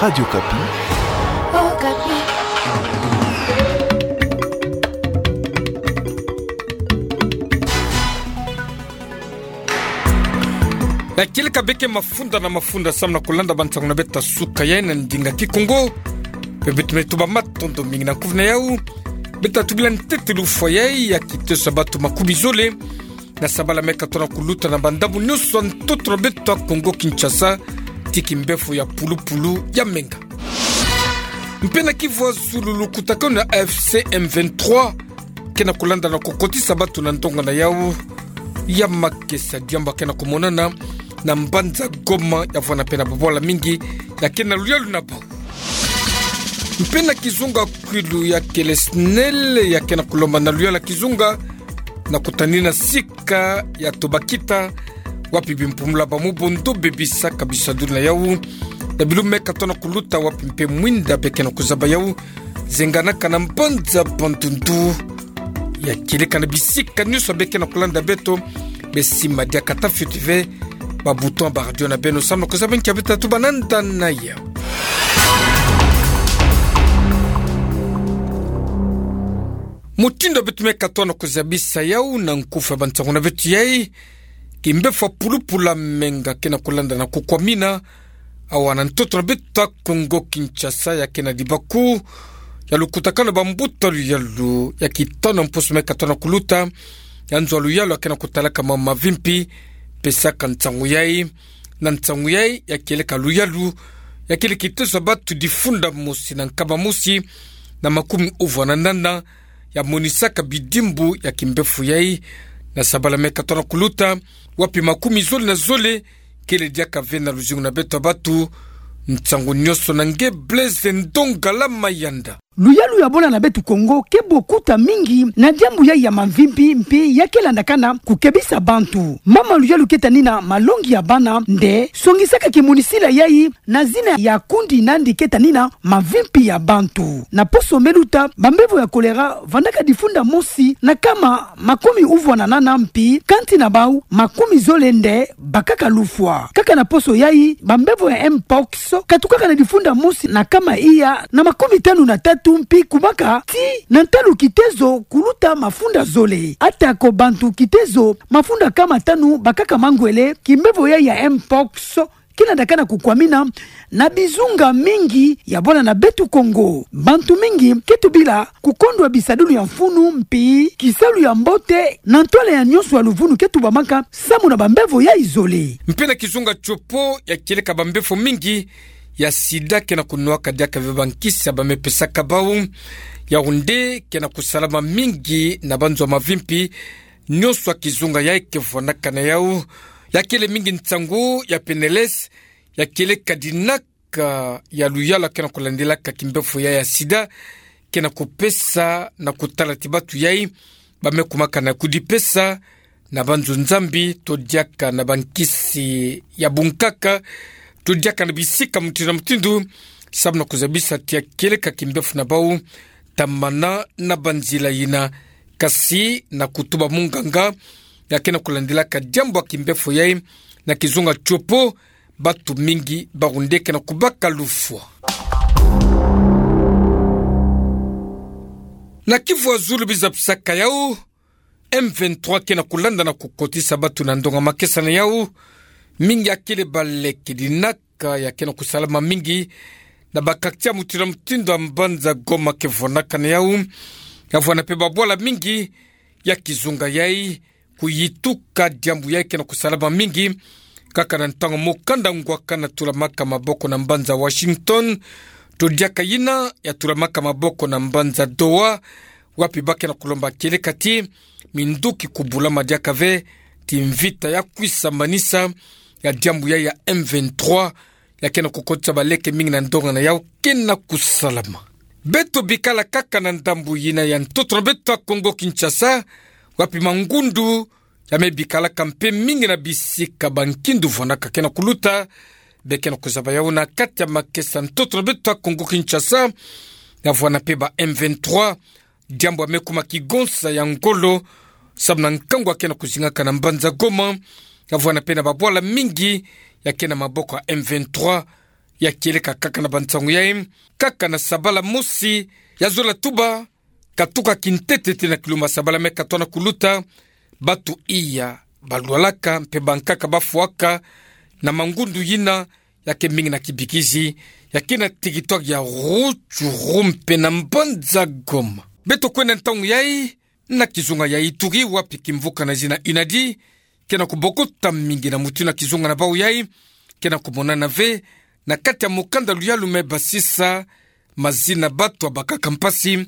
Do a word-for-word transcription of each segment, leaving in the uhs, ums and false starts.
Radio Okapi. Okapi. Ya kieleka beke mafunda na mafunda samu na kulanda bansango na beto ya suka yayi na ndinga Kikongo. Pe beto me tuba matondo mingi na kufi na yau. Beto tubila ntete lufwa yayi ya kiteso ya bato makumi zole na sabala me katono kuluta na bandambu nyonso ya ntoto na beto ya Kongo Kinshasa, tii kimbefo ya pulupulu ya menga. Mpe na Kivu ya Zulu, lukutakanu ya A F C M vingt-trois ke na kulanda na kukotisa bato na ndonga na yau ya makesa, diambu ya ke na kumonana na mbanza Goma, ya vwanda mpe na babwala mingi ya ke na luyalu na bau. Mpe na kizunga Kwilu, ya kele SNEL ya ke na kulomba na luyala kizunga na kutanina sika ya tobakita, wapi bimpumula ba mubondo bebisaka bisadulu na yau. Na bilumbu me katono kuluta, wapi mpe mwinda be ke na kuzaba yau, zenganaka na mbanza Bandundu. Ya kieleka na bisika nyonso be ke na kulanda beto, be sima diaka ta fioti ve ba bouton ya ba radio na beno samu na kuzaba nki ya beto tatuba na nda na yau. Mutindu beto me katono kuzabisa yau na nkufi ya bansango na beto yayi, kimbefo ya pulupulu ya menga ke na kulanda na kukwamina awa na ntoto na beto ya Kongo Kinshasa, ya ke na libaku ya lukutakanu ya bambuta luyalu ya kitanu ya mposo me katono kuluta, ya nzo ya luyalu ya ke na kutalaka ma mavimpi. Pesaka nsangu yayi, na nsangu yayi ya kieleka luyalu ya kele kiteso ya bato difunda mosi na nkama mosi na makumi uvwa na nana ya monisaka bidimbu ya kimbefo yayi na sabala me katono kuluta, wapi makumi zole na zole kele diaka ve na luzingu na beto ya bato. Nsangu nyonso na nge Blaise Ndongala Mayanda. Luyalu ya bwala na beto Kongo ke bo kuta mingi na diambu yayi ya mavimpi, mpi ya ke landakana kukebisa bantu. Mama luyalu ke tanina malongi ya bana nde songisaka kimonisila yayi na zina ya kundi nandi ke tanina mavimpi ya bantu. Na poso me luta, bambevo ya kolera vandaka difunda mosi na nkama makumi uvwa na nana, mpi kanti na bau makumi zole nde bakaka lufwa. Kaka na poso yayi, bambevo ya mpox katukaka na difunda mosi na nkama iya na makumi tanu na tatu, mpi kumaka tii na ntalu kitezo kuluta mafunda zole. Atako bantu kitezo mafunda nkama tanu bakaka mangwele, kimbevo yayi ya mpox ke landakana kukwamina na bizunga mingi ya bwala na beto Kongo. Bantu mingi ke tubila kukondwa bisadulu ya mfunu, mpi kisalu ya mbote na ntwala ya nyonso ya luvunu ke tubamaka samu na bambevo yayi zole. Mpe na kizunga Tshopo, ya kieleka bambefo mingi ya sida ke na kunwaka diaka ve bankisi ya ba me pesaka bau. Yaoundé ke na kusalama mingi na banzo ya mavimpi nyonso ya kizunga yayi ke vwanaka na yau. Ya kele mingi nsangu ya PNLS ya kieleka dinaka ya luyalu ya ke na kulandilaka kimbefo yayi ya sida, ke na kupesa na kutala ti batu yayi ba me kumaka na kudipesa na banzo nzambi, to diaka na bankisi ya bunkaka, to diaka na bisika mutindu na mutindu, samu na kuzabisa ti ya kieleka kimbefo na bau tamana na banzila yina. Kasi na kutuba munganga ya ke na kulandilaka diambu ya kimbefo yayi na kizunga Tshopo, batu mingi baoundé ke na kubaka lufwa. Na Kivu ya Zulu, biza pisaka yau, M vingt-trois ke na kulanda na kukotisa batu na ndonga makesa na yau. Mingi ya kele baleke dinaka ya ke na kusalama mingi na ba quartier mutindu na mutindu ya mbanza Goma ke vwanaka na yau. Ya vwana mpe babwala mingi ya kizunga yayi kuyituka, diambu yayi ke na kusalama mingi. Kaka na ntangu mokanda ngwaka na tulamaka maboko na mbanza Washington, to diaka yina ya tulamaka maboko na mbanza Doha, wapi ba ke na kulomba kieleka ti minduki kubulama diaka ve, ti mvita ya kwisa manisa ya diambu yayi ya M vingt-trois ya ke na kukotisa baleke mingi na ndonga na yau ke na kusalama. Beto bikala kaka na ndambu yina ya ntoto na beto ya Kongo Kinshasa, wapi mangundu ya me bikalaka mpe mingi na bisika bankindu vwanaka ke na kuluta, be ke na kuzaba yau na kati ya makesa ntoto na beto ya Kongo Kinshasa. Ya vwana mpe ba M vingt-trois, diambu ya me kuma kigonsa ya ngolo samu na nkangu ya ke na kuzingaka na mbanza Goma. Ya vwana mpe na babwala mingi ya ke na maboko ya M vingt-trois, ya kieleka kaka na bansango yai, kaka na sabala mosi ya zola tuba, katuka kintete tina kilumbu sabala me katona kuluta, batu iya balwalaka mpe bankaka bafuaka na mangundu yina ya ke mingi na kibikizi, ya ke na territoire ya Rutshuru mpe na mbanza Goma. Beto kwenda ntangu yai na kizunga ya Ituri, wapi kimvuka na zina UNADI ke na kubokota mingi na mutu na kizunga na bau yai ke na kumonana ve na kati ya mukanda luyalu me basisa mazina batu ya bakaka mpasi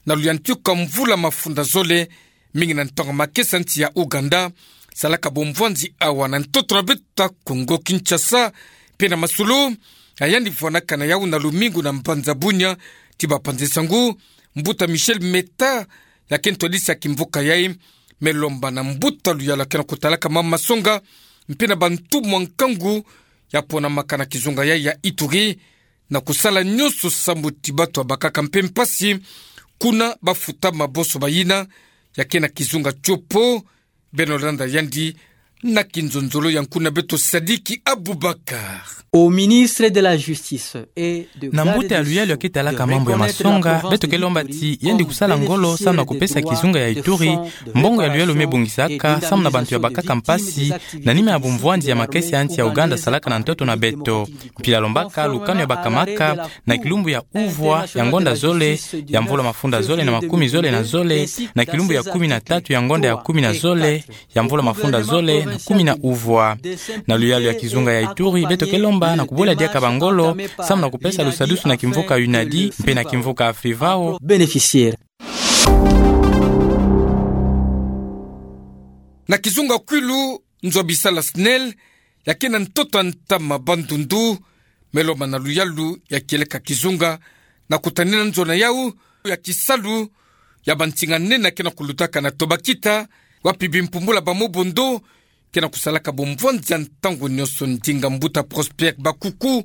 na luyantika mvula mafunda zole, mingi na ntangu makesa nsi ya Ouganda salaka bumvwanzi awa na ntoto na beto ya Kongo Kinshasa. Mpe na masolo, ya yandi vwanakana yau na lumingu na mbanza Bunia, ti bapanzi nsangu, mbuta Michel Meta, ya ke ntwadisi ya kimvuka yai, me lomba na mbuta luyalu ya ke na kutalaka mama masonga, mpe na bantu mwa nkangu ya ponamaka na kizunga yai ya Ituri, na kusala nyonso sambu ti batu ya bakaka mpe mpasi kuna bafuta maboso bayina ya ke na kizunga tiopo. Beno landa yandi na kinzonzolo ya nkuna beto Sadiki Abubakar. Au ministre de la Justice et de Na mbuta ya luyalu ya ke talaka mambu ya masonga, beto ke lomba ti yandi kusala ngolo samu na kupesa kizunga ya Ituri mbongo ya luyalu me bongisaka samu na bantu ya bakaka mpasi, na nima ya bumvwanzi ya makesa ya nsi ya Ouganda salaka na ntoto na beto. Mpila lombaka lukanu ya bakamaka na kilumbu ya uvwa ya ngonda zole ya mvula mafunda zole na makumi zole na zole, na kilumbu ya kumi na tatu ya ngonda ya kumi na zole ya mvula mafunda zole na kumi na uvwa. Na luyalu ya kizunga ya Ituri, beto ke lomba na kubula diaka bangolo samu na kupesa lusadusu na kimvuka UNADI mpe na kimvuka Afrivao. Bénéficiaire. Na kizunga Kwilu, nzo ya bisala SNEL ya ke na ntoto ya ntama Bandundu me lomba na luyalu ya kieleka kizunga na kutanina nzo na yau ya kisalu ya bansinga nene ya ke na kulutaka na Tobakita, wapi bimpumbula ba mobondo ke na kusalaka bumvwanzi ya ntangu nyonso. Ndinga mbuta Prosper Bakuku,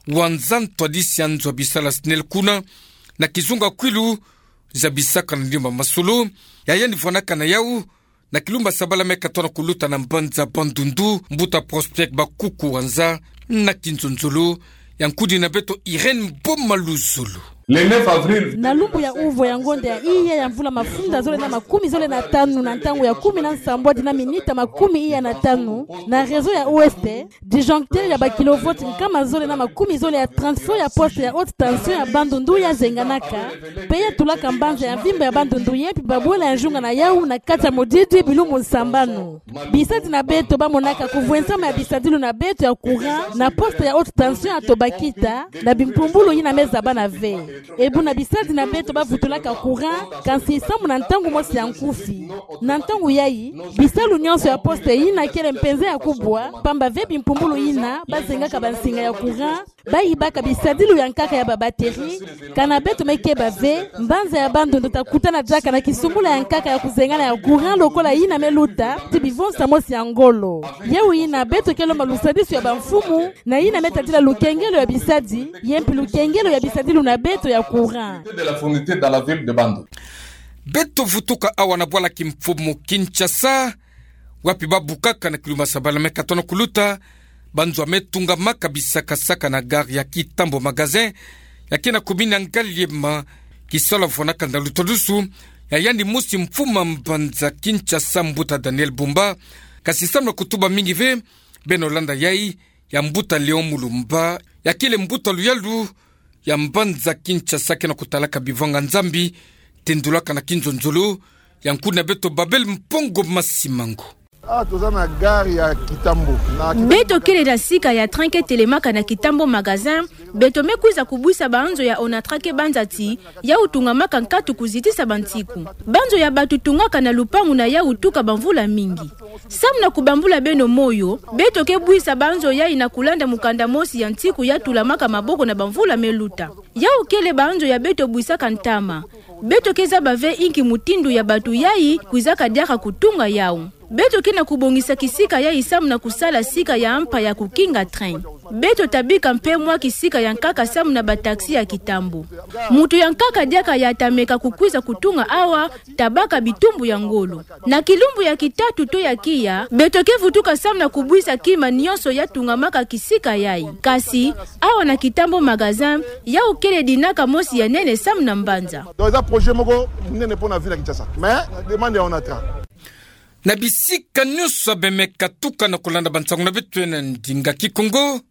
wanzan ntwadisi ya nzo ya bisala SNEL kuna na kizunga Kwilu, zabisaka na ndimba masolo ya yandi vwanakana yau na kilumbu sabala me katona kuluta na mbanza Bandundu, mbuta Prosper Bakuku wanza na kinzonzolo ya nkudi na beto Irène Boma Luzolo. Le neuf avril. Na lumbu ya uvwa ya ngonda ya iya ya mvula mafunda zole na makumi zole na tanu, na ntangu ya kumi na nsambwadi na minita makumi iya na tanu, na réseau ya Ouest, disjoncteur ya ba kilovolts nkama zole na makumi zole ya transfo ya poste ya haute tension ya Bandundu ya zenganaka, mpe ya tulaka mbanza ya mvimba ya Bandundu ye mpi babwela ya nzunga na yau na kati ya modidi bilumbu nsambanu. Bisadi na beto bamonaka kuvwensama ya bisadilu na beto ya courant na poste ya haute tension ya Tobakita, na bimpumbulu yina me zabana ve. E buna bisadi na beto bavutulaka courant, kansi samu na ntangu mosi ya nkufi. Na ntangu yai, bisalu nyonso ya poste yina kele mpenza ya kubwa, pamba ve bimpumbulu yina bazengaka bansinga ya courant, bayibaka bisadilu ya nkaka ya ba batterie. Kana beto me keba ve, mbanza ya Bandundu ta kutana diaka na kisumbula ya nkaka ya kuzengana ya courant lokola yina me luta ti bivonsa mosi ya ngolo. Yau yina beto ke lomba lusadisu ya bamfumu, na yina me tadila lukengelo ya bisadi, ye mpi lukengelo ya bisadilu na beto ya courant. De la fourniture dans la ville de Bandundu. Beto vutuka awa na bwala kimfumu Kinshasa, wapi babukaka na kilumbu sabala me katona kuluta banzo ya me tungamaka bisakasaka na gare ya Kitambo Magasin, ya ke na commune ya Ngaliema, kisalu ya vwanakana na lutadusu ya yandi mosi mfumu ya mbanza Kinshasa, mbuta Daniel Bumba. Kasi samu na kutuba mingi ve, beno landa yai ya mbuta Léon Mulumba, ya kele mbuta luyalu ya mbanza Kinshasa ke na kutalaka bivanga Nzambi, tendulaka na kinzonzolo ya nkudi na beto Babel Mpongo Masimango. Ah, toza na gare ya Kitambo. Na Kitambo. Beto kele na sika ya train ke telemaka na Kitambo Magasin, beto me kwiza kubwisa banzo ya Onatra ke banza ti yau tungamaka nkatu kuzitisa bantiku. Banzo ya batu tungaka na lupangu na yau tuka bamvula mingi. Samu na kubambula beno moyo, beto ke bwisa banzo yai na kulanda mukanda mosi ya ntiku ya tulamaka maboko na bamvula me luta. Yau kele banzo ya beto bwisaka ntama. Beto ke zaba ve inki mutindu ya batu yai kwizaka diaka kutunga yau. Beto ke na kubongisa kisika yai samu na kusala sika ya mpa ya kukinga train. Beto tabika mpe mwa kisika ya nkaka samu na bataxi ya kitambo. Moto ya nkaka diaka ya ta meka kukwiza kutunga awa, tabaka bitumbu ya ngolo. Na kilumbu ya kitatu to ya kiya, beto ke vutuka samu na kubwisa kima nionso ya tungamaka kisika yai. Kasi, awa na kitambo magasin, yau kele dinaka mosi ya nene samu na mbanza. Donc, eza projet moko monene mpo na ville ya Kinshasa. Mais, demande ya Onatra. Na bisika nionso bemeka tuka na kulanda bansangu na beto na ndinga Kikongo,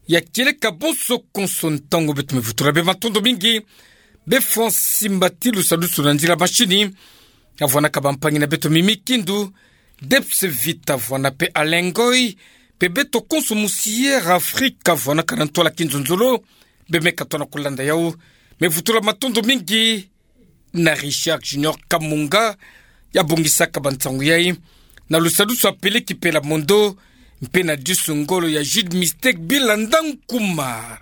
ya kieleka bonso konso ntangu beto me vutula bê, matondo mingi. Bê Francis Mbati, lusadusu na nzila mashini, ya vwanaka bampangi na beto Mimi Kindu, Debs Vita vwana mpe Alain Ngoy, mpe beto konso musiere Afrika vwanaka na ntwala kinzonzolo, bemeka tona kulanda yau. Me vutula matondo mingi na Richard Junior Kamunga, ya bongisaka bansangu yai, na lusadusu ya Peleki Pela Mondo, mpe na disu ngolo ya Jude Mistake Bilanda Nkuma.